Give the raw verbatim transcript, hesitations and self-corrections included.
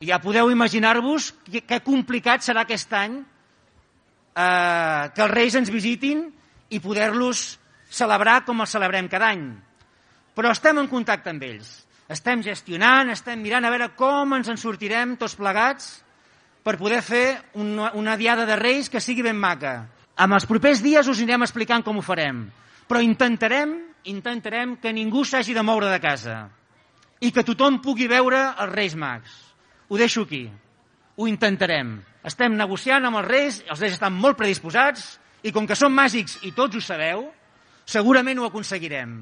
Ja podeu imaginar-vos que complicat serà aquest any eh, que els Reis ens visitin i poder-los celebrar com els celebrem cada any. Però estem en contacte amb ells. Estem gestionant, estem mirant a veure com ens en sortirem tots plegats per poder fer una, una diada de Reis que sigui ben maca. En els propers dies us anirem explicant com ho farem, però intentarem, intentarem que ningú s'hagi de moure de casa i que tothom pugui veure els Reis Mags. Ho deixo aquí. Ho intentarem. Estem negociant amb els Reis, els Reis estan molt predisposats i com que són màgics i tots ho sabeu, segurament ho aconseguirem.